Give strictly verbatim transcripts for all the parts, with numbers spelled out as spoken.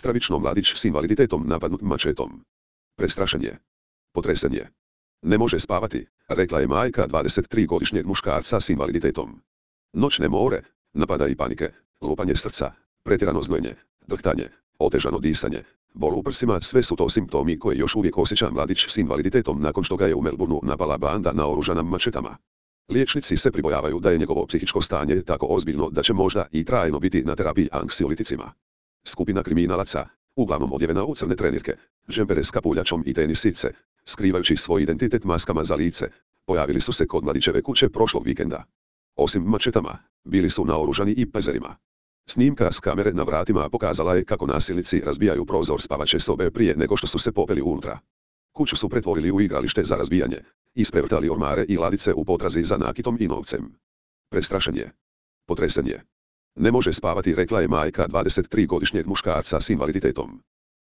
Stravično mladić s invaliditetom napadnut mačetom. Prestrašen je. Potresen je. Ne može spavati, rekla je majka dvadesettrigodišnjeg muškarca s invaliditetom. Noćne more, napada i panike, lupanje srca, pretjerano znojenje, drhtanje, otežano disanje, bol u prsima, sve su to simptomi koje još uvijek osjeća mladić s invaliditetom nakon što ga je u Melbourneu napala banda naoružana mačetama. Liječnici se pribojavaju da je njegovo psihičko stanje tako ozbiljno da će možda i trajno biti na terapiji anksioliticima. Skupina kriminalaca, uglavnom odjevena u crne trenirke, džempere s kapuljačom i tenisice, skrivajući svoj identitet maskama za lice, pojavili su se kod mladićeve kuće prošlog vikenda. Osim mačetama, bili su naoružani i pezerima. Snimka s kamere na vratima pokazala je kako nasilnici razbijaju prozor spavaće sobe prije nego što su se popeli unutra. Kuću su pretvorili u igralište za razbijanje, isprevrtali ormare i ladice u potrazi za nakitom i novcem. Prestrašen je. Potresen je. Ne može spavati, rekla je majka dvadesettrigodišnjeg muškarca s invaliditetom.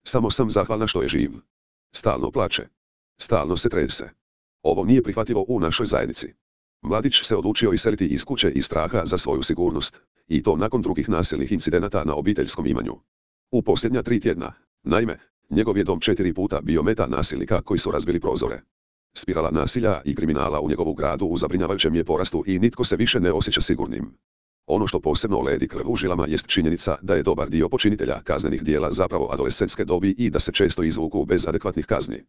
Samo sam zahvalna što je živ. Stalno plače. Stalno se trese. Ovo nije prihvatljivo u našoj zajednici. Mladić se odlučio iseliti iz kuće iz straha za svoju sigurnost, i to nakon drugih nasilnih incidenata na obiteljskom imanju. U posljednja tri tjedna, naime, njegov je dom četiri puta bio meta nasilnika koji su razbili prozore. Spirala nasilja i kriminala u njegovu gradu u zabrinjavajućem je porastu i nitko se više ne osjeća sigurnim. Ono što posebno ledi krv u žilama jest činjenica da je dobar dio počinitelja kaznenih djela zapravo adolescentske dobi i da se često izvuku bez adekvatnih kazni.